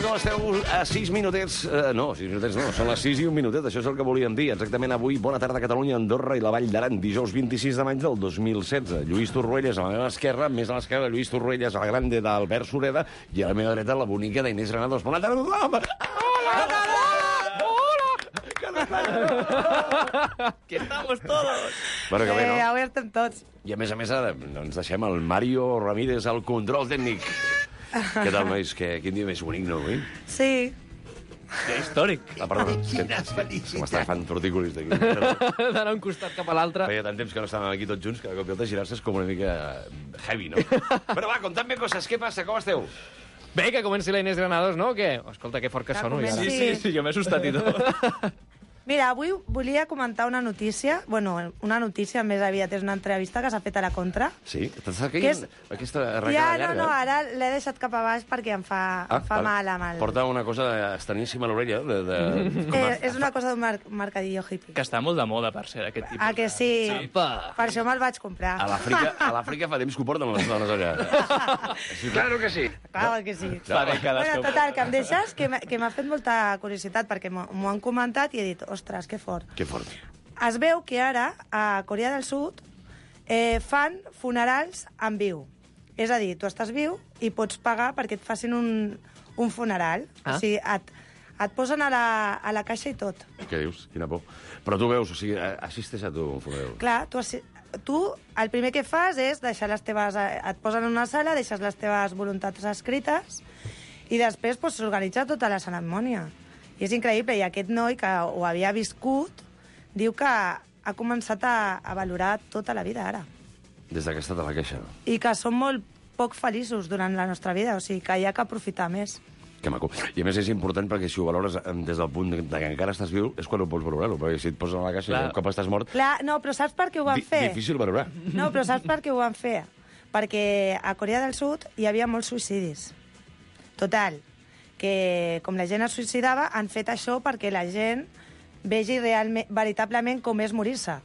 com esteu? A 6 minutets... No, 6 minutets no, són les 6 i un minutet, això és el que volíem dir. Exactament avui, bona tarda Catalunya, Andorra i la Vall d'Aran, dijous 26 de maig del 2016. Lluís Torruelles a la meva esquerra, més a l'esquerra, Lluís Torruelles a la grande d'Albert Sureda i a la meva dreta la bonica d'Inés Granados. Bona tarda, tothom! Hola! Que estamos todos! Bueno, que bé, no? Avui estem tots. I a més, ara no ens deixem el Mario Ramírez al control tècnic. Què tal, nois? Quin dia més bonic, no, avui? Sí. Que històric. Perdona, que m'estava fent tortícolis d'aquí. D'anar un costat cap a l'altre. Feia tant temps que no estàvem aquí tots junts que de cop i volta girar-se és com una mica heavy, no? Però va, conta'm coses. Què passa? Com esteu? Bé, que comenci la Inés Granados, no? Què? Escolta, que fort que sono. comenci. Ja. Sí, jo m'he assustat i tot. Mira, avui volia comentar una notícia. Bueno, una notícia més aviat és una entrevista que s'ha fet a la Contra. Sí? T'estàs Que caient és- aquesta Ja, arrencada no, llarga? ara l'he deixat cap a baix perquè em fa mal amb el... Porta una cosa estraníssima a l'orella. És una cosa d'un mercadillo hippie. Que està molt de moda, per ser, aquest tipus. Ah, que sí? Apa. Per això me'l vaig comprar. A l'Àfrica fa temps que ho porten les dones allà. Sí, claro que sí. Clar que sí. Fa dècades Bueno, que... total, que em deixes, que m'ha fet molta curiositat, perquè m'ho han comentat i he dit, ostres, que fort. Que fort. Es veu que ara, a Corea del Sud, fan funerals en viu. És a dir, tu estàs viu i pots pagar perquè et facin un funeral. Ah. O sigui, et posen a la caixa i tot. Què dius? Quina por. Però tu veus, o sigui, assistes a tu un funeral. Clar, tu el primer que fas és deixar les teves... Et posen en una sala, deixes les teves voluntats escrites i després s'organitza tota la cerimònia. I és increïble. I aquest noi, que ho havia viscut, diu que ha començat a valorar tota la vida ara. Des que ha estat a la queixa. I que som molt poc feliços durant la nostra vida, o sigui, que hi ha que aprofitar més. Que maco. I a més és important perquè si ho valores des del punt de que encara estàs viu és quan ho pots valorar-ho, perquè si et poses a la caixa i un cop estàs mort... Clar, no, però saps per què ho van fer? Difícil valorar. No, però saps per què ho van fer? Perquè a Corea del Sud hi havia molts suïcidis. Total, que com la gent es suïcidava, han fet això perquè la gent vegi veritablement com és morir-se.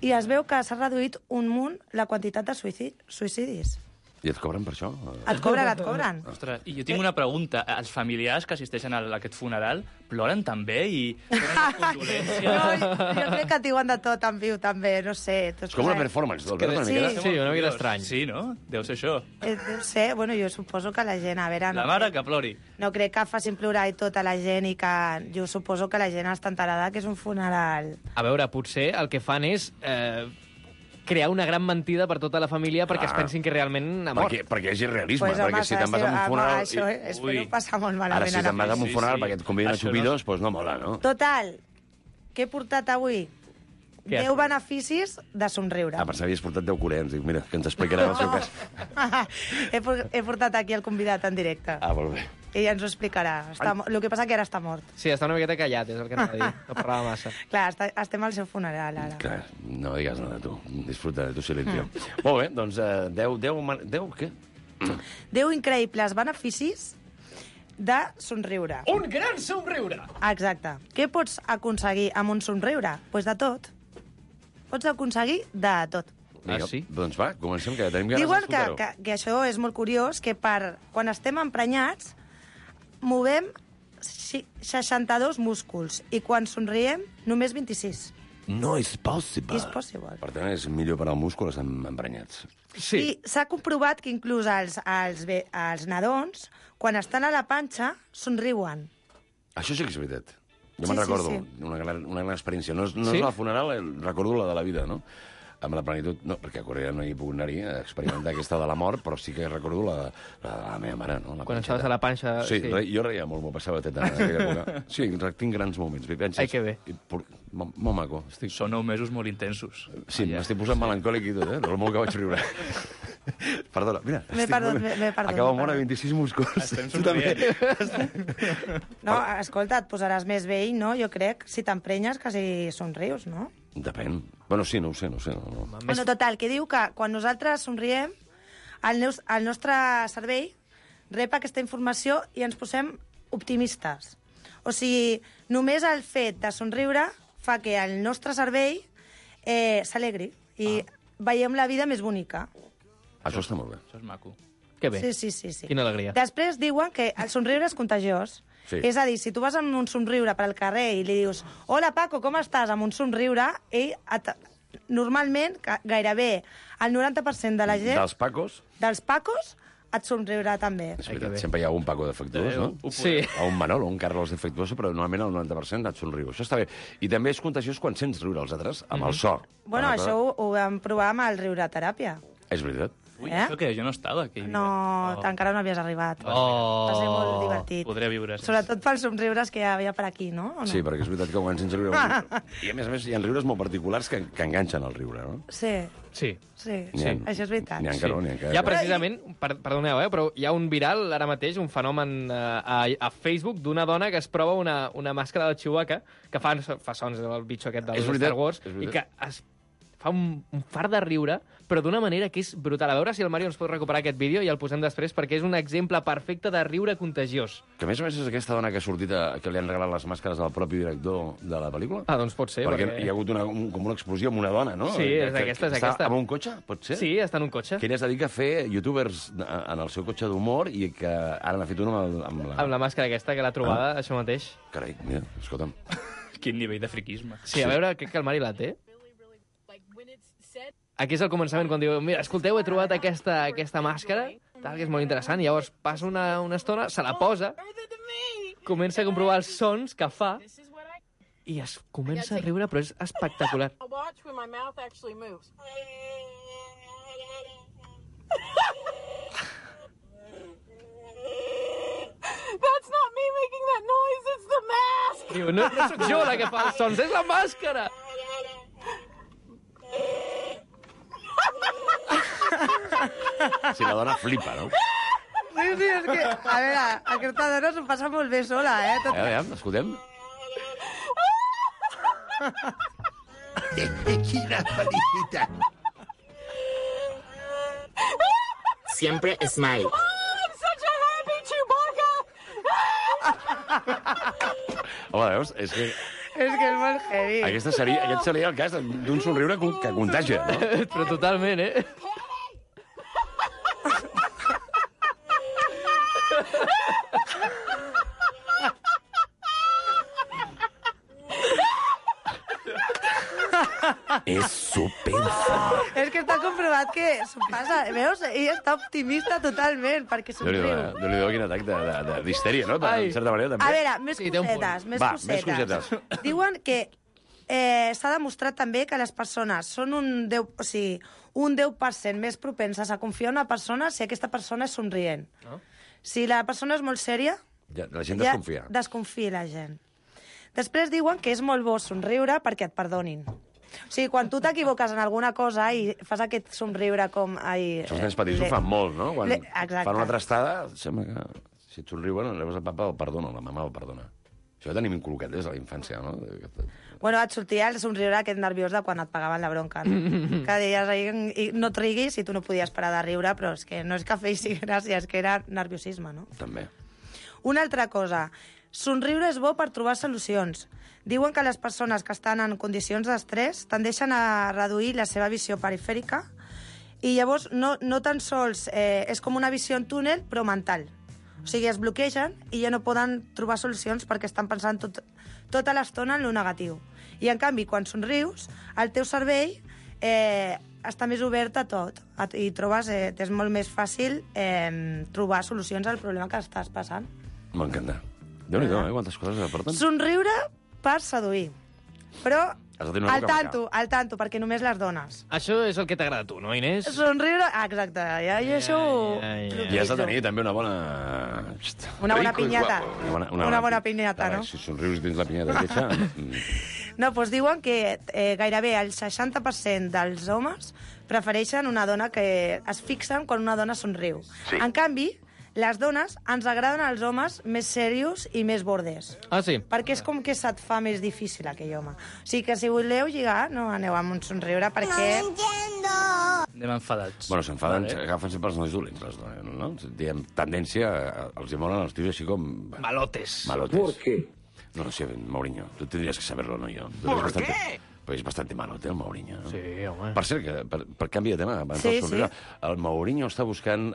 I es veu que s'ha reduït un munt la quantitat de suïcidis. I et cobren per això? Et cobren. Ostres, i jo tinc una pregunta. Els familiars que assisteixen a aquest funeral ploren també i tenen les condolències? No, jo crec que diuen de tot en viu, també, no sé. És com una performance, Albert, una Sí. mica. Sí, una mica estrany. Sí, no? Deu ser això. Deu ser, bueno, jo suposo que la gent, a veure... La mare que plori. No crec que facin plorar i tota la gent i que jo suposo que la gent està enterada que és un funeral. A veure, potser el que fan és crear una gran mentida per tota la família perquè es pensin que realment ha mort. Perquè hi hagi realisme, Pues, perquè home, si te'n vas a un funeral... Això, espero Ui. passar molt Ara, malament. si te'n vas a un Sí, funeral sí. perquè et conviden a Això xupidos, doncs no mola, no? Total, què he portat avui? Què has 10 beneficis de somriure. Ah, per saber, has portat 10 coreans. Dic, mira, que ens explicarà el seu cas. He portat aquí el convidat en directe. Ah, molt bé. I ja ens ho explicarà. El que passa que ara està mort. Sí, està una miqueta callat, és el que anava a dir. No parlava massa. Clar, estem al seu funeral, ara. Clar, no digues nada, tu. Disfruta de tu silencio. Molt bé, doncs 10 què? 10 increïbles beneficis de somriure. Un gran somriure! Exacte. Què pots aconseguir amb un somriure? Doncs pues de tot. Pots aconseguir de tot. Ah, sí? Doncs va, comencem, que tenim ganes Diuen d'escoltar-ho. que això és molt curiós, que quan estem emprenyats movem 62 músculs i quan somriem només 26. No és possible. Is possible. Per tant, és millor per al múscul estar emprenyats. Sí. I s'ha comprovat que inclús els nadons, quan estan a la panxa, somriuen. Això sí que és veritat. Jo Sí, me'n sí, recordo, sí. una gran experiència. No és Sí? la funeral, recordo la de la vida, no? Amb la plenitud, no, perquè a Corea no hi he pogut anar-hi a experimentar aquesta de la mort, però sí que recordo la de la meva mare, no? Quan estaves a la panxa... Sí, jo reia molt, m'ho passava teta en aquella època. Sí, tinc grans moments, vivències. Ai, que bé. Molt maco. Són 9 mesos molt intensos. Sí, m'estic posant melancòlic i tot, del molt que vaig riure. Perdona, mira. M'he perdut. Acaba mort a 26 músculs. Estem Tu també. No, escolta, et posaràs més vell, no? Jo crec, si t'emprenyes, que si somrius, no? Depèn. Bueno, sí, no ho sé. No. Bueno, total, que diu que quan nosaltres somriem, el nostre cervell rep aquesta informació i ens posem optimistes. O sigui, només el fet de somriure fa que el nostre cervell s'alegri i veiem la vida més bonica. Això està molt bé. Això és maco. Que bé. Sí. Quina alegria. Després diuen que el somriure és contagiós. Sí. És a dir, si tu vas amb un somriure pel carrer i li dius «Hola, Paco, com estàs?», amb un somriure, ell normalment, gairebé el 90% de la gent... Dels Pacos? Dels Pacos et somriurà també. És veritat, sempre hi ha un Paco defectuós, no? Sí. O un Manolo, un Carlos defectuós, però normalment el 90% et somriu. Això està bé. I també és contagiós quan sents riure els altres, amb el so. Bueno, això ho vam provar amb el riure-teràpia. És veritat. Ui, això que jo no estava aquell dia. No, encara no havies arribat. Oh. Va ser molt divertit. Podré viure. Sobretot pels somriures que hi havia per aquí, no? O no? Sí, perquè és veritat que quan sents riure... I a més, hi ha riures molt particulars que enganxen el riure, no? Sí, Sí. això és veritat. N'hi ha que no, n'hi ha que... Hi ha precisament, perdoneu, però hi ha un viral ara mateix, un fenomen a Facebook d'una dona que es prova una màscara del Chewbacca que fa sons del bitxo aquest dels Star Wars i que es fa un fart de riure, però d'una manera que és brutal. A veure si el Mario ens pot recuperar aquest vídeo i el posem després, perquè és un exemple perfecte de riure contagiós. Que a més és aquesta dona que ha sortit, que li han regalat les màscares al propi director de la pel·lícula? Ah, doncs pot ser. Perquè hi ha hagut com una explosió amb una dona, no? Sí, és aquesta. Està amb un cotxe, pot ser? Sí, està en un cotxe. Que ella es dedica a fer youtubers en el seu cotxe d'humor i que ara n'ha fet un Amb la màscara aquesta, que l'ha trobada, això mateix. Carai, mira, escolta'm. Quin nivell de friquisme. Sí, a veure, crec que el Mari la té. Aquí és el començament, quan diu, mira, escolteu, he trobat aquesta màscara, tal, que és molt interessant, i llavors passa una estona, se la posa, comença a comprovar els sons que fa, i es comença a riure, però és espectacular. That's not me making that noise, it's the mask! Diu, no sóc jo la que fa els sons, és la màscara! Si la dona flipa, no? Sí, és que... A veure, aquesta dona s'ho passa molt bé sola, eh? Escoltem. Quina felicitat. Siempre smile. I'm such a happy Chewbacca! Home, veus? És que És que és molt heavy. aquest seria el cas d'un somriure que contagia, no? Però totalment, eh? És superfort. És que està comprovat que s'ho passa. Veus? Ell està optimista totalment, perquè somriu. Déu-n'hi-do, quin atac d'histèria, no? En certa manera, també. A veure, més Sí, té un punt. cosetes, més Va, cosetes. més cosetes. Diuen que s'ha demostrat també que les persones són un 10% més propenses a confiar en una persona si aquesta persona és somrient. Si la persona és molt sèria, Ja, la gent desconfia. desconfia la gent. Després diuen que és molt bo somriure perquè et perdonin. O sigui, quan tu t'equivoques en alguna cosa i fas aquest somriure com... Els nens petits ho fan molt, no? Quan Exacte. fan una trastada, sembla que si et somriuen, llavors el papa el perdona, la mama el perdona. Això ho tenim inculcat des de la infància, no? Bueno, et sortia el somriure aquest nerviós de quan et pagaven la bronca, no? Que deies, no et riguis i tu no podies parar de riure, però és que no és que feixi gràcia, és que era nerviosisme, no? També. Una altra cosa, somriure és bo per trobar solucions. Diuen que les persones que estan en condicions d'estrès tendeixen a reduir la seva visió perifèrica i llavors no tan sols és com una visió en túnel, però mental. O sigui, es bloquegen i ja no poden trobar solucions perquè estan pensant tota l'estona en lo negatiu. I, en canvi, quan somrius, el teu cervell està més obert a tot i trobes, és molt més fàcil trobar solucions al problema que estàs passant. M'encanta. Déu-n'hi-do, quantes coses aporten. Somriure per seduir. Però Has de tenir una boca al tanto, perquè només les dones. Això és el que t'agrada a tu, no, Inés? Somriure... Ah, exacte. Ja, jo això... I has de tenir també una bona... Una bona pinyata. Una bona pinyata, no? Si somrius i tens la pinyata lletja... No, doncs diuen que gairebé el 60% dels homes prefereixen una dona que es fixen quan una dona somriu. Sí. En canvi, les dones ens agraden els homes més serios i més bordes. Ah, sí? Perquè és com que se't fa més difícil aquell home. O sigui que si voleu lligar, no aneu amb un somriure perquè... Anem enfadats. Bueno, s'enfaden, Vale. agafen sempre els nois dolents, les dones, no? Diem, tendència, els hi molen els tios així com... Malotes. Malotes. ¿Por qué? No lo sé, Mourinho. Tú tendrías que saberlo, no yo. ¿Por qué? Però és bastant malote, el Mourinho, no? Sí, home. Per cert, que, per canvi de tema, abans del somriure, el Mourinho està buscant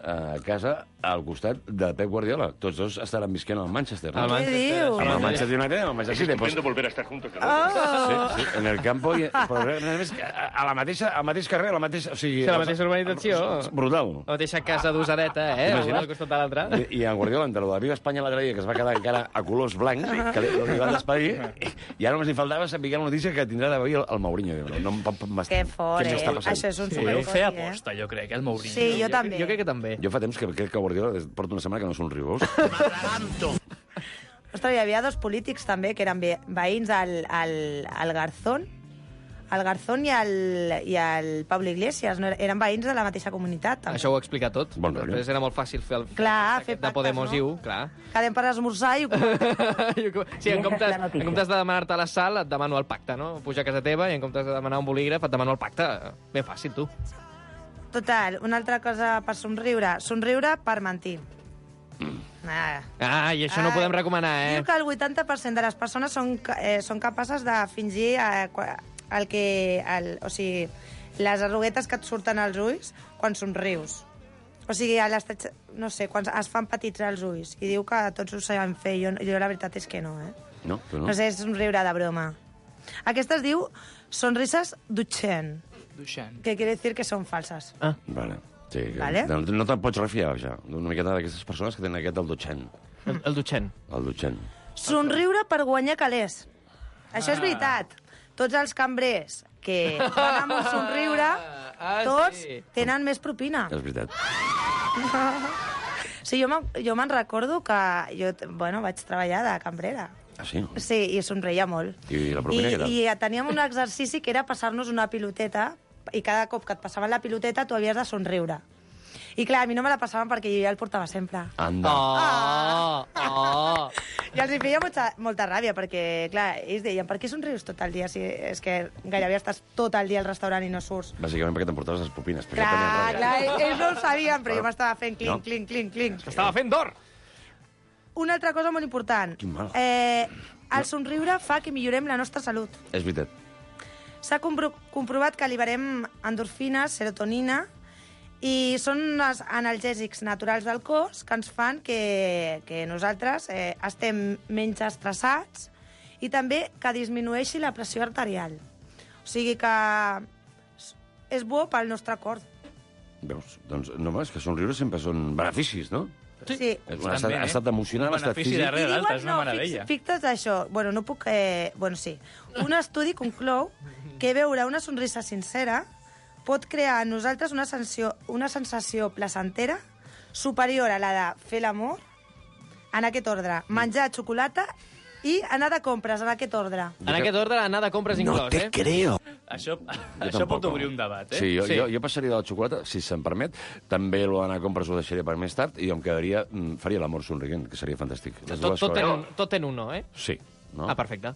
casa al costat de Pep Guardiola. Tots dos estaran visquent al Manchester, no? Què dius? Amb el Manchester United, amb el Manchester City. Estupendo volver a estar juntos. Sí, en el campo, però a més, al mateix carrer, o sigui... Sí, la mateixa urbanització. Brutal. La mateixa casa d'usadeta, un al costat de l'altre. I en Guardiola, entre el de Viva Espanya l'altre dia, que es va quedar encara a colors blancs, que li van despedir, i ara només li faltava saber la notícia que tindrà d'avui el Mourinho. Que fort, Això és un Però superfort. fer aposta, jo crec, el Mourinho. Sí, jo també. Jo crec que també. Jo fa temps que crec que Guardiola porta una setmana que no somriu. Ostres, hi havia dos polítics també que eren veïns al Garzón. El Garzón i el Pablo Iglesias, no? Eren veïns de la mateixa comunitat. També. Això ho explica tot. Bon rotllo. Després era molt fàcil fer el Clar, fer de pactes, Podemos no? IU, clar. Quedem per esmorzar i... Sí, en comptes de demanar-te a la sal, et demano el pacte, no? Puja a casa teva i en comptes de demanar un bolígraf et demano el pacte. Ben fàcil, tu. Total, una altra cosa per somriure. Somriure per mentir. I això no ho podem recomanar, Diu que el 80% de les persones són capaces de fingir o sigui, les arruguetes que et surten als ulls quan somrius. O sigui, no sé, quan es fan petits als ulls. I diu que tots ho sabem fer. Jo la veritat és que no, No, tu no? No sé, és somriure de broma. Aquesta es diu sonrises Duchenne, que quiere decir que són falses. Vale. Sí, Vale. No te'n pots refiar, ja, d'una miqueta d'aquestes persones que tenen aquest el Duchenne. El Duchenne. El Duchenne. Somriure per guanyar calés. Això és veritat. Tots els cambrers que van amb un somriure, tots tenen més propina. És veritat. Sí, jo me'n recordo que jo, vaig treballar de cambrera. Ah, sí? Sí, i somreia molt. I la propina què tal? I teníem un exercici que era passar-nos una piloteta, i cada cop que et passaven la piloteta tu havies de somriure. I clar, a mi no me la passaven perquè jo ja el portava sempre. Anda. I els hi feia molta ràbia, perquè, clar, ells deien, per què somrius tot el dia? Si és que gairebé estàs tot el dia al restaurant i no surts. Bàsicament perquè t'emportaves les pupines. Clar, ells no ho sabien, però jo m'estava fent clinc. Estava fent d'or! Una altra cosa molt important. Quin mal. El somriure fa que millorem la nostra salut. És veritat. S'ha comprovat que liberem endorfines, serotonina, i són els analgèsics naturals del cos que ens fan que nosaltres estem menys estressats i també que disminueixi la pressió arterial. O sigui que és bo pel nostre cor. Veus? Doncs no, és que somriure sempre són beneficis, no? Sí. És un estat emocional, un estat benefici físic. darrere l'altre, és una meravella. Fixa't això. Bueno, no puc... sí. Un estudi conclou que veure una sonrisa sincera pot crear en nosaltres una sensació placentera superior a la de fer l'amor, en aquest ordre, menjar xocolata i anar de compres, en aquest ordre. En aquest ordre, anar de compres inclòs, creo. Això tampoc, pot obrir un debat, Sí, jo passaria de la xocolata, si se'm permet. També l'anar a compres ho deixaria per més tard i em quedaria... faria l'amor somrient, que seria fantàstic. Tot en un no, Sí. No? Ah, perfecte.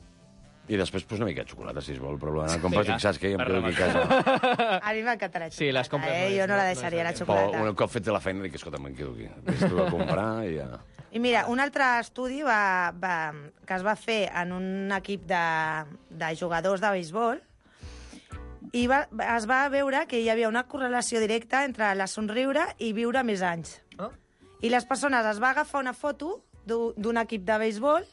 I després, pues, una mica de xocolata, si es vol, però l'anar a compres, saps què? I em quedo aquí a casa. A mi m'encantarà la xocolata. Sí, les compres Jo no la deixaria, la xocolata. Un cop fet la feina, dic, escolta, me'n quedo aquí. Vés tu a comprar i ja... I mira, un altre estudi que es va fer en un equip de jugadors de béisbol i es va veure que hi havia una correlació directa entre la somriure i viure més anys. I les persones es va agafar una foto d'un equip de béisbol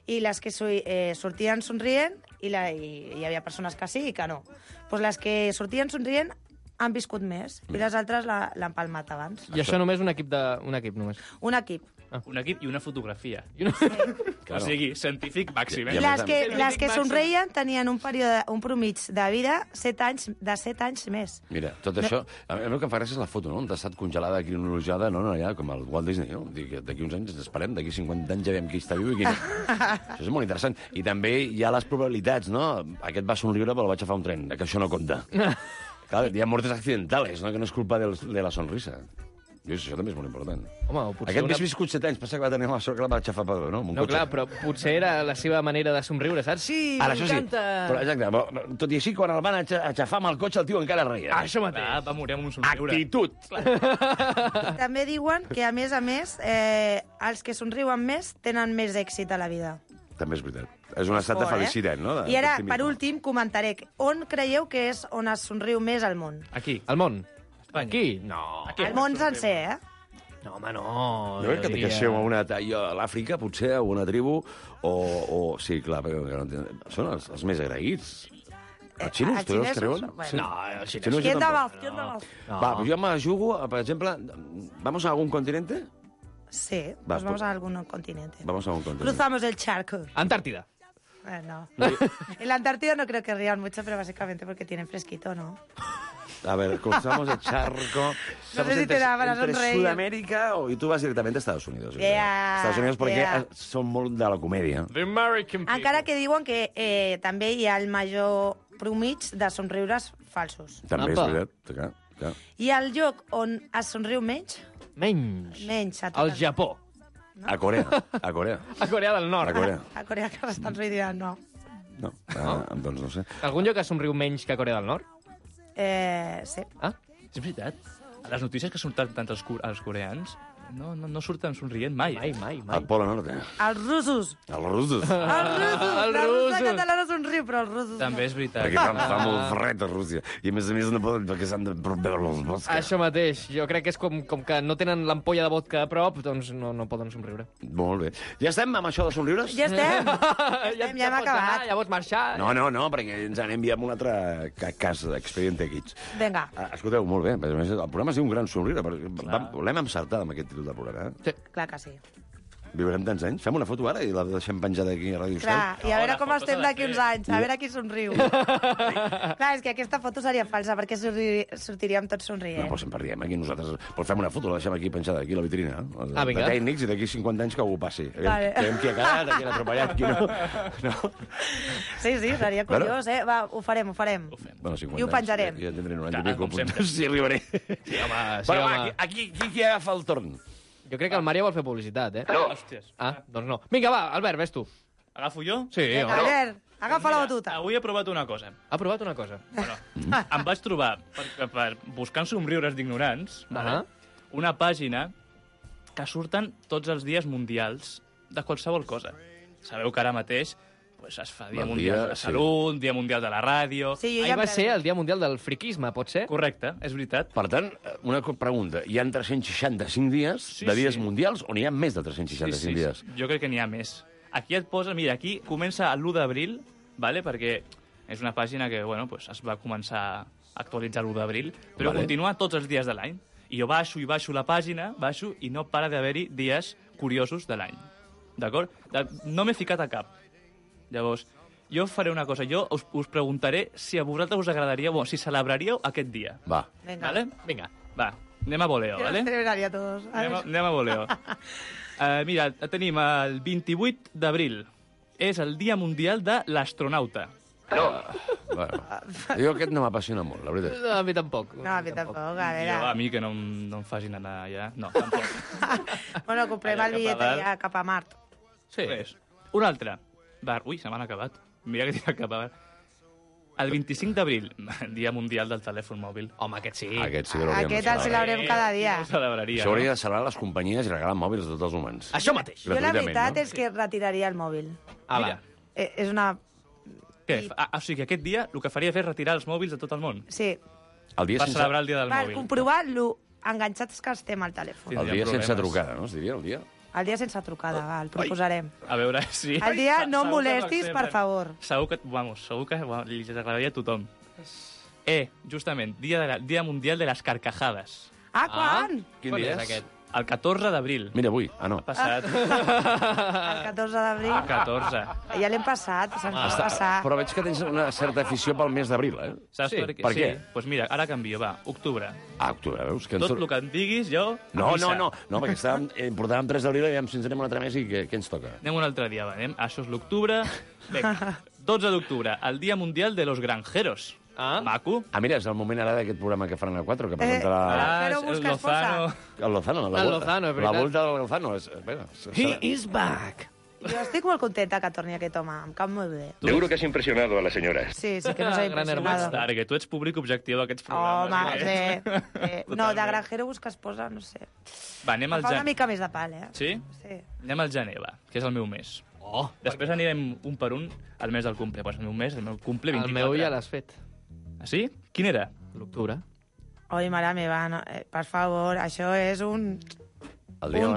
i les que sortien somrient i hi havia persones que sí i que no. Pues les que sortien somrient han viscut més i les altres l'han palmat abans. I això només un equip només. Un equip. Un equip i una fotografia. Claro. O sigui, científic màxim. I a Les que somreien tenien un promig de vida de 7 anys més. Mira, tot això... A mi el que em fa gràcia és la foto, no? On ha estat congelada, cronologiada, no, allà, com el Walt Disney, no? Dic, d'aquí uns anys ens esperem, d'aquí 50 anys ja veiem qui està viu i qui no. Això és molt interessant. I també hi ha les probabilitats, no? Aquest va somriure però el vaig agafar un tren, que això no compta. Clar, hi ha mortes accidentales, no? Que no és culpa de la sonrisa. Això també és molt important. Home, potser Aquest més viscut 7 anys, passa que va tenir la sort que la va aixafar padró, no? No, clar, però potser era la seva manera de somriure, saps? Sí, ara, això sí, m'encanta! però, exacte, tot i així, quan el van aixafar amb el cotxe, el tio encara reia. Això mateix. Va morir amb un somriure. Actitud! També diuen que, a més, els que somriuen més tenen més èxit a la vida. També és veritat. És un estat de Fort, felicitat, no? I ara, per últim, comentaré on creieu que és on es somriu més al món. Aquí. Al món? Espanya. Aquí? No. Al món sencer, No, home, no. Jo crec que això a l'Àfrica, potser, a una tribu, sí, clar, perquè són els més agraïts. Els xinos, tu els creuen? Bueno. No, els ¿Quién xinesos... da más? ¿Quién da más? Va, pues jo me jugo, per exemple, ¿vamos a algún continente? Sí, Va, pues vamos a algún continente. Vamos a un continente. Cruzamos el charco. Antártida. No. En la Antártida no creo que rían mucho, pero básicamente porque tienen fresquito, ¿no? A ver, cruzamos el charco. No sé si te da para entre sonreír. Sudamérica y tú vas directamente a Estados Unidos. Yeah, Estados Unidos perquè yeah. són molt de la comèdia. The American people. Encara que diuen que també hi ha el major promig de somriures falsos. També és Apa. veritat, clar. I el lloc on es somriu menys, Menys. menys a Al tot Japó. A Corea, a Corea. A Corea del A Nord. Corea. a Corea que s'estan rient, no. No, doncs no sé. Algun lloc es somriu menys que Corea del Nord? Sí. Ah? És veritat. A les notícies que surten tant els coreans no surten somrient mai. Mai. Al Polo Nord. Els russos. Els russos. Els russos. Els La russa russos. catalana somriu, però els russos També és veritat. Perquè fa molt fred a Rússia. I a més no poden, perquè s'han de veure els boscs. Això mateix. Jo crec que és com que no tenen l'ampolla de vodka a prop, doncs no poden somriure. Molt bé. Ja estem amb això de somriures? Ja estem. Ja hem pots acabat. anar, ja pots marxar. No, perquè ens en enviem un altre cas d'Expediente Kids. Vinga. Escolteu, molt bé. A més, el programa es diu Un gran somriure. L'hem encertat amb aquest títol del programa. Sí. Clar que sí. Viurem tants anys? Fem una foto ara i la deixem penjada aquí a Ràdio Clar, Estel? i a veure la com foto estem s'ha de d'aquí uns fer. anys, a veure qui somriu. Clar, és que aquesta foto seria falsa, perquè sortiríem tots No, somrient. però sempre riem aquí nosaltres. Però fem una foto, la deixem aquí penjada, aquí a la vitrina. Vinga. De tècnics i d'aquí 50 anys que algú passi. Vale. Veiem qui ha quedat, qui ha atropellat, qui no. No? Sí, seria curiós, Va, ho farem. Bueno, 50 I ho penjarem. anys. Ja tindré 90 Clar, i pico. com sempre. Sí, arribaré. Sí, home. Però va, aquí qui agafa el torn? Jo crec que el Mario vol fer publicitat, No. Hòsties. Doncs no. Vinga, va, Albert, ves tu. Agafo jo? Sí, home. Albert, agafa la batuta. Avui he provat una cosa. Ha provat una cosa. Bueno, em vaig trobar, per buscant somriures d'ignorants, vale? Una pàgina que surten tots els dies mundials de qualsevol cosa. Sabeu que ara mateix pues, es fa Dia El Mundial dia, de la Salut, Dia Mundial de la Ràdio... Sí, jo Ahir ja va ser el Dia Mundial del Friquisme, pot ser? Correcte, és veritat. Per tant, una pregunta. Hi ha 365 dies de dies mundials o n'hi ha més de 365 dies? Jo crec que n'hi ha més. Aquí et posa... Mira, aquí comença l'1 d'abril, vale? Perquè és una pàgina que bueno, pues, es va començar a actualitzar l'1 d'abril, però continua tots els dies de l'any. I jo baixo la pàgina, i no para d'haver-hi dies curiosos de l'any. D'acord? No m'he ficat a cap. Llavors, jo faré una cosa. Jo us preguntaré si a vosaltres us agradaria... Bueno, si celebraríeu aquest dia. Va. Vinga. Vale? Vinga, va. Anem a voleo, Jo vale? els celebraria tots. Anem a voleo. Mira, tenim el 28 d'abril. És el Dia Mundial de l'Astronauta. Bueno, jo aquest no m'apassiona molt, la veritat. No, a mi tampoc. No, a mi tampoc, a Jo, veure. a mi que no em facin anar allà. No, tampoc. Bueno, comprem Allà el bitllet cap a dalt. allà cap a Mart. Sí. Un altre. Ui, se m'han acabat. Mira que tinc cap a el 25 d'abril, Dia Mundial del Telèfon Mòbil. Home, aquest sí. Aquest sí que l'hauríem de Aquest el celebrar. celebrem cada dia. Ho celebraria, Això hauria de celebrar les companyies i regalar mòbils a tots els humans. Això mateix. Jo la Gratuïtament, veritat no? és que retiraria el mòbil. Mira, És una... què? O sigui, aquest dia el que faria és retirar els mòbils de tot el món. Sí, El dia Per sense, celebrar el dia del per mòbil. comprovar lo enganxats que estem al telèfon. Sí. el dia Tindríem sense problemes. trucada, no? Es diria, el dia? El dia sense trucada, va, el proposarem. A veure si... El dia no em Segur que molestis, per l'accepten. favor. Segur que li agradaria a tothom. Justament, Dia Mundial de les Carcajades. Ah, quan? Quin Quan dia és és? aquest? El 14 d'abril. Mira, avui. Ah, no. Passat. El 14 d'abril. El 14. Ja l'hem passat, se'ns va passar. Però veig que tens una certa afició pel mes d'abril, eh? Saps Sí, per què? per què? Doncs pues mira, ara canvio, va. Octubre. Ah, octubre, veus? Que ens Tot surt- el que em diguis, jo... a No, missa. no, perquè portàvem 3 d'abril i aviam si ens anem un altre mes i què ens toca? Anem un altre dia, va. Això és l'octubre. Vinga, 12 d'octubre, el Dia Mundial de los Granjeros. Ah. Maco. Ah, mira, és el moment ara d'aquest programa que faran a 4, que presentarà Però és busca Lozano. el Lozano. El Lozano, és veritat. La volta del Lozano. He is back. Jo estic molt contenta que torni aquest home, em cap molt bé. Seguro que has impresionado a la señora. Sí, sí que nos ha Gran impressionado. Clar, que tu ets públic objectiu d'aquests Home, programes. sí. No, de granjero busca esposa, no sé. Va, anem Em al fa una gener. mica més de pal, eh? Sí? Sí. Anem al gener, va, que és el meu mes. Oh, Després anirem un per un al mes del cumple. Pues el meu mes, el meu cumple, 24. el meu ja l'has fet. Ah, sí? Quin era? L'octubre. Oi, mare meva, no, per favor, això és un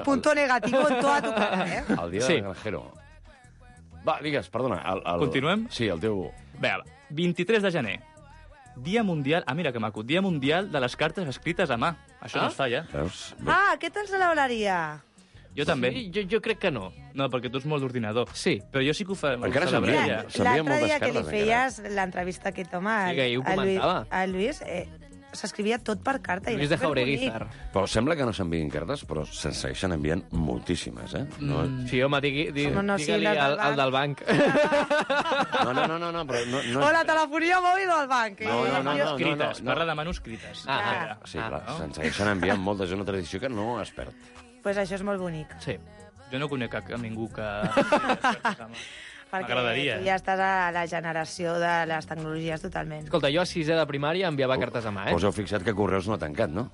punto el, negativo en toda tu cara, eh? el dia del granjero. Va, digues, perdona. Continuem? Sí, el teu... Bé, 23 de gener. Dia mundial... Ah, mira que maco. Dia mundial de les cartes escrites a mà. Això no es fa, ja. Veus? Ah, què te'l celebraria? Jo també. Sí, jo crec que no. No, perquè tu ets molt d'ordinador. Sí. Però jo sí que ho fa. Encara ho celebraria. s'envia. S'envien L'altre moltes dia que li cartes, feies l'entrevista a aquest home, Sí, que ahir ho comentava. a Lluís, s'escrivia tot per carta. Lluís de Jaureguizar. Però sembla que no s'envien cartes, però se'n segueixen enviant moltíssimes, eh? No, Sí, home, digue-li sí, les del al del banc. no, però... No, O la telefonia mòbil o el banc. No. Manuscrites. Parla de manuscrites. Sí, clar, se'n segueixen enviant moltes. És una tradició que no es perd. Pues això és molt bonic. Sí. Jo no conec a ningú que... Perquè M'agradaria. tu ja estàs a la generació de les tecnologies totalment. Escolta, jo a 6è de primària enviava cartes a mà, Us heu fixat que Correus no ha tancat, no?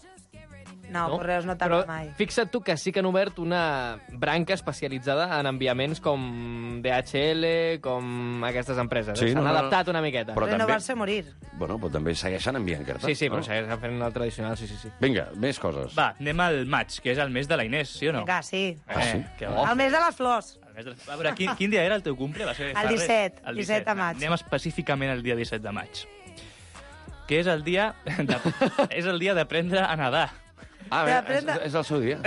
No, Correus no Però tanca mai. fixa't tu que sí que han obert una branca especialitzada en enviaments com DHL, com aquestes empreses. Sí, S'han no. adaptat una miqueta. Però també- Renovar-se o morir. Bueno, però també segueixen enviant cartes. Sí, però no? segueixen fent el tradicional, sí. Vinga, més coses. Va, anem al maig, que és el mes de la Inés, sí o no? Vinga, sí. sí? Que bo. El mes de les flors. El mes de... A veure, quin dia era el teu cumple? Va ser El fa res? 17, El 17 de maig. Anem específicament al dia 17 de maig. Que és el dia és el dia d'aprendre a nedar. Ah, bé, D'aprendre- és el seu dia.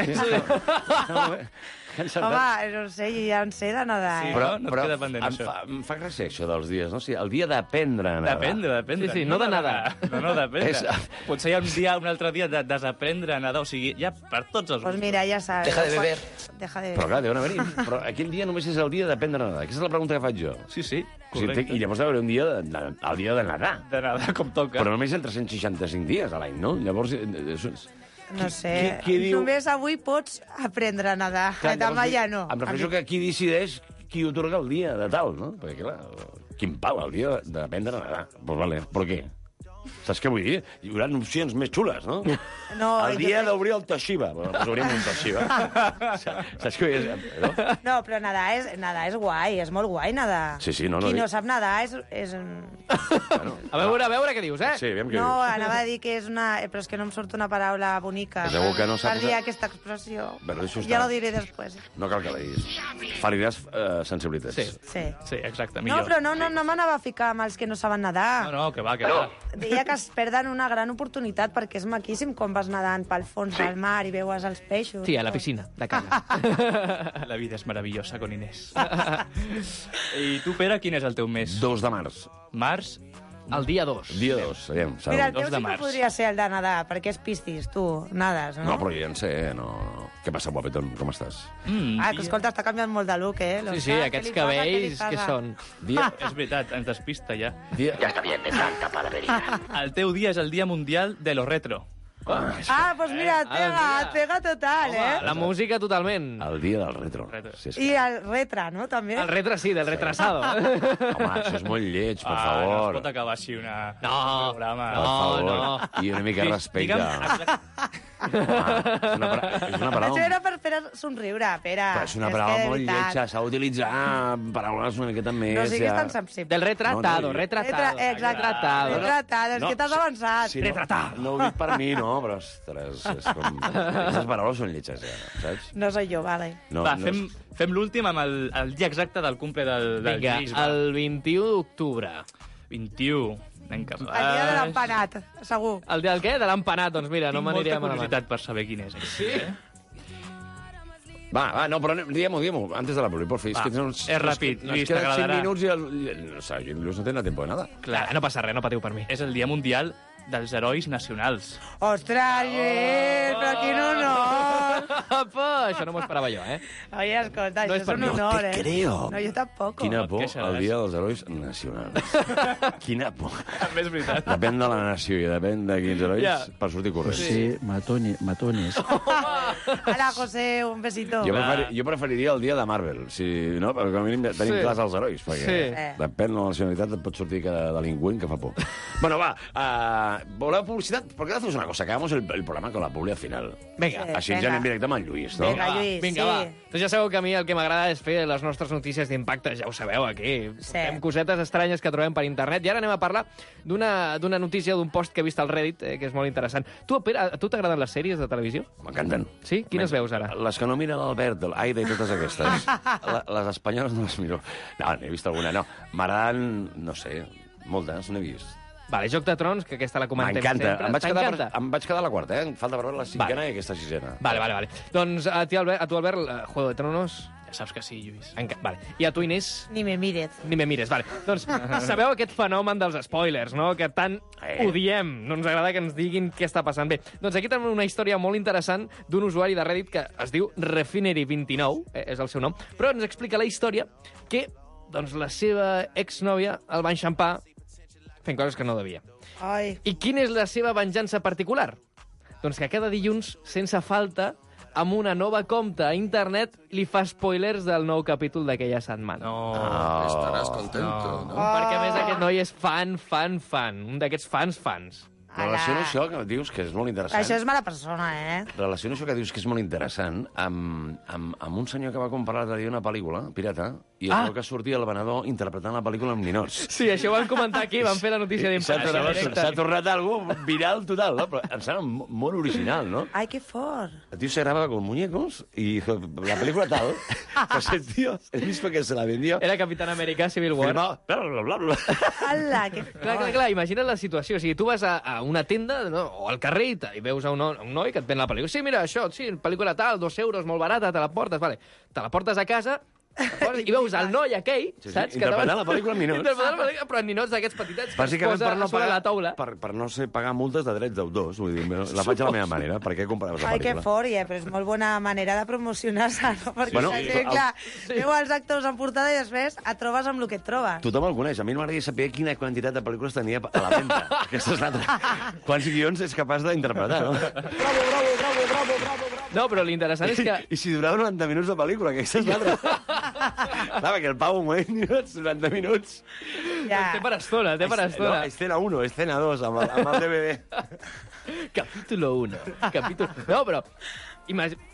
Sí. Home, no sé, jo ja en sé de nedar, Sí, eh? però- no et queda pendent, em això. em fa gràcia això dels dies, no? O sigui, el dia d'aprendre a nedar. D'aprendre. Sí, no de nedar. No, d'aprendre. És- Potser hi ha un altre dia de desaprendre a nedar, o sigui, ja per tots els Pues gustos. mira, ja sabes. Deja de beber. Deja de Però beber. clar, deuen haver-hi. Però aquell dia només és el dia d'aprendre a nedar. Aquesta és la pregunta que faig jo. Sí, sí, O sigui, correcte. I llavors haurà un dia el dia de nedar. De nedar com toca. Però només en 365 dies a l'any, no? Llavors... No sé. Qui diu- Només avui pots aprendre a nedar. Demà ja no. Em refereixo que qui decideix qui otorga el dia de tal, no? Perquè, clar, quin pal, el dia d'aprendre a nedar. Pues vale, però què? Saps què vull dir? Hi haurà opcions més xules, no? No, el dia d'obrir el Toshiba. Bueno, doncs obrim un Toshiba. Saps què vull dir? No? No, però nedar és guai, és molt guai nedar. Sí, no, Qui dic- no sap nedar és... A veure què dius, eh? Sí, aviam què No, dius. anava a dir que és una... Però és que no em surt una paraula bonica. Segur que no saps- Per dir aquesta expressió. Bueno, deixa estar. Ja la diré després. No cal que la diguis. Feriràs sensibilitats. Sí. Sí. Sí, exacte, No, millor. però no m'anava a ficar amb els que no saben nedar. No, que va, que va. Deia que es perden una gran oportunitat perquè és maquíssim quan vas nedant pel fons del mar i veus els peixos. Sí, a la piscina, de canya. La vida és meravellosa con Inés. I tu, Pere, quin és el teu mes? 2 de març. Març? El dia 2. Dia 2, aviam. Mira, el dos teu de sí que març. podria ser el de nedar, perquè és piscis, tu, nades, no? No, però jo ja en sé, no. Què passa, guapetón? Com estàs? Ah, que escolta, està canviant molt de look, eh? Sí, aquests cabells, què són? Dia... És veritat, ens despista ja. dia... Ya está bien de tanta palabrería. El teu dia és el Dia Mundial de lo Retro. Ah, doncs mira, et pega total, eh? La música totalment. El dia del retro. Retro. Sí, és I el retre, no, també? El retre sí, del retrasado. Home, això és molt lleig, per No es favor. pot acabar així un programa. Per favor. no. I una mica de respecte. Home, és una Això paraula... era per fer somriure, Pere. Però és una que paraula de molt veritat. lletja. S'ha d'utilitzar paraules una miqueta més... No siguis ja. tan sensible. Del retratado, No, no, retratado. Exacte. Retratado. Retratado, és que t'has avançat. Sí, no ho dic per mi, no, però, ostres, és com... Aquestes paraules són lletges, ja, saps? No soy jo, vale. No, Va, no fem l'últim amb el dia exacte del cumple del Vinga, Lluís. Va. el 21 d'octubre. 21. Anem cap El dia de l'empanat, segur. El dia del què? De l'empanat, doncs mira, no Tinc m'aniré molta a malament. curiositat per saber quin és. Sí? Va, no, però diguem-ho, antes de la publi, por fi. Va, És que tens és ràpid, Ens Lluís, queden 5 t'agradarà. minuts i o sigui, el Lluís no té tiempo de nada. Clar, No passa res, no patiu per mi. és el Dia Mundial dels Herois Nacionals. Ostres, Lluís, però quin honor. Apa, això no m'ho esperava jo, eh? Oye, escolta, No això és és per un mi. honor, No te creo. No, jo tampoc. Quina et por, queixaràs. el dia dels herois nacionals. Quina por. També és veritat. Depèn de la nació i depèn de quins herois Ja. per sortir corrents. Sí, matones. Hola, José, un besito. Jo preferiria el dia de Marvel, si, no? Perquè com a mínim tenim Sí. clars els herois, perquè Sí. depèn de la nacionalitat et pot sortir cada delinqüent que fa por. Bueno, va, voleu publicitat? ¿Por qué no hacemos una cosa? Que hagamos el programa con la publi al final. Vinga. Sí. Així ens Venga. anem directe amb el Lluís, no? Vinga, Lluís, Vinga, sí. va. Doncs ja sabeu que a mi el que m'agrada és fer les nostres notícies d'impacte, ja ho sabeu, aquí. Fem cosetes estranyes que trobem per internet. I ara anem a parlar d'una notícia, d'un post que he vist al Reddit, que és molt interessant. Tu, Pere, a tu t'agraden les sèries de televisió? M'encanten. Sí? Quines veus ara? Les que no mira l'Albert, l'Aida i totes aquestes. Les espanyoles no les miro. No, n'he vist alguna, no. M'agraden, no sé, moltes, n'he vist. Vale, Joc de Trons, que aquesta la comentem sempre. M'encanta. Em vaig quedar a la quarta, eh? Falta per veure la cinquena i aquesta sisena. Vale. Doncs a tu, Albert, Juego de Tronos... Ja saps que sí, Lluís. Vale. I a tu, Inés? Ni me mires. Ni me mires, vale. Doncs sabeu aquest fenomen dels spoilers, no? Que tant odiem. No ens agrada que ens diguin què està passant. Bé, doncs aquí tenim una història molt interessant d'un usuari de Reddit que es diu Refinery29, és el seu nom, però ens explica la història que doncs, la seva exnòvia el va enxampar fent coses que no devia. Ai. I quina és la seva venjança particular? Doncs que cada dilluns, sense falta, amb una nova compta a internet, li fa spoilers del nou capítol d'aquella setmana. No. Estaràs contento, no? Perquè, a més, aquest noi és fan. Un d'aquests fans. Relaciono això que dius que és molt interessant. Això és mala persona, eh? Relaciono això que dius que és molt interessant amb un senyor que va comprar l'altre dia una pel·lícula pirata i es veu que sortia el venedor interpretant la pel·lícula amb ninots. Sí, això ho vam comentar aquí, vam fer la notícia d'impacte. S'ha tornat algo viral total, ¿no? Però em sembla molt original, ¿no? Ai, que fort. El tío se grababa con muñecos y dijo, la película tal, pues el tío, el mismo que se la vendió... Era Capitán América Civil War. Firmaba, bla. Ala, que fort. Clar, imagina't la situació. O sigui, tu vas a una tenda, no? O al carrer i veus a un noi que et ven la pel·lícula. Sí, mira, això, sí, pel·lícula tal, 2 euros, molt barata, te la portes, vale. Te la portes a casa i veus el noi aquell, saps? Interpretant la pel·lícula amb ninots. Interpretant la pel·lícula, però en ninots d'aquests petitets que es Bàsicament posa a sobre la taula. per no ser pagar multes de drets d'autors. Vull dir, la faig a la meva manera. Per què compraves la Ai, que pel·lícula? fort, però és molt bona manera de promocionar-se, no? Perquè Bueno, la gent, clar, veu els actors en portada i després et trobes amb el que et trobes. Tothom el coneix. A mi m'agradaria saber quina quantitat de pel·lícules tenia a la venda. Aquesta és l'altra. Quants guions és capaç d'interpretar, no? Bravo. No, però l'interessant és que... I si durava 90 minuts de pel·lícula, que aquesta és l'altra. Clar, perquè el Pau, un moment, 90 minuts. Ja. Té per estona. No, escena 1, escena 2, amb el DVD. Capítulo 1. No, però...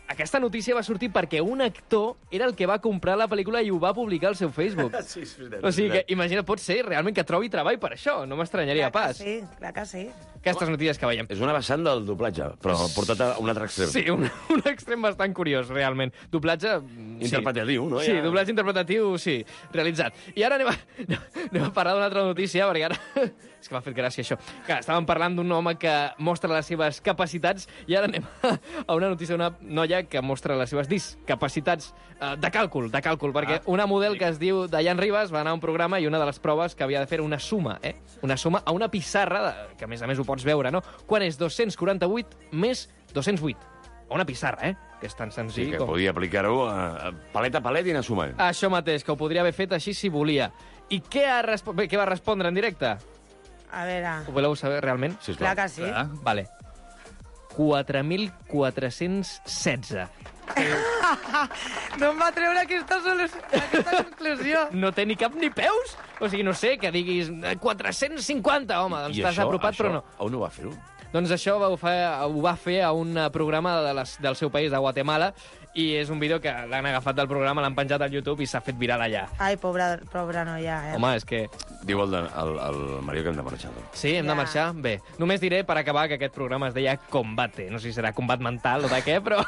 Aquesta notícia va sortir perquè un actor era el que va comprar la pel·lícula i ho va publicar al seu Facebook. Sí, és veritat. O sigui que, imagina't, pot ser realment que trobi treball per això. No m'estranyaria pas. Clar que sí. Aquestes notícies que veiem. És una vessant del doblatge, però portat a un altre extrem. Sí, un extrem bastant curiós, realment. Doblatge... Interpretatiu, no? Sí, doblatge interpretatiu, sí, realitzat. I ara anem a parlar d'una altra notícia, perquè ara... És que m'ha fet gràcia, això. Que estàvem parlant d'un home que mostra les seves capacitats i ara anem a una notícia d'una noia que mostra les seves discapacitats de càlcul, perquè una model que es diu Dayan Ribas va anar a un programa i una de les proves que havia de fer una suma, una suma a una pissarra, que a més ho pots veure, no? Quan és 248 més 208. A una pissarra, que és tan senzill Sí, que com... podia aplicar-ho palet a palet i anar sumant. Això mateix, que ho podria haver fet així si volia. I què va respondre en directe? A veure... Ho voleu saber realment? Sisplau. Clar que sí. Vale. 4.416. No em va treure aquesta conclusió. No té ni cap ni peus? O sigui, no sé, que diguis 450, home, doncs t'has apropat, però no. On ho va fer-ho? Doncs això ho va fer a un programa del seu país, de Guatemala, i és un vídeo que l'han agafat del programa, l'han penjat al YouTube i s'ha fet viral allà. Ai, pobra noia, Home, és que... Diu el Mario que hem de marxar. Sí, hem de marxar? Bé, només diré, per acabar, que aquest programa es deia Combate. No sé si serà combat mental o de què, però...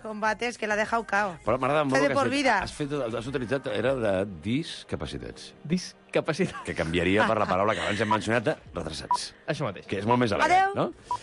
Combate, és que l'ha dejado cao. Però m'agrada molt Fe de que por vida. has utilitzat, era de discapacitats. Discapacitat. Que canviaria per la paraula que abans hem mencionat de retrasats. Això mateix. Que és molt més elegant, Adéu. no?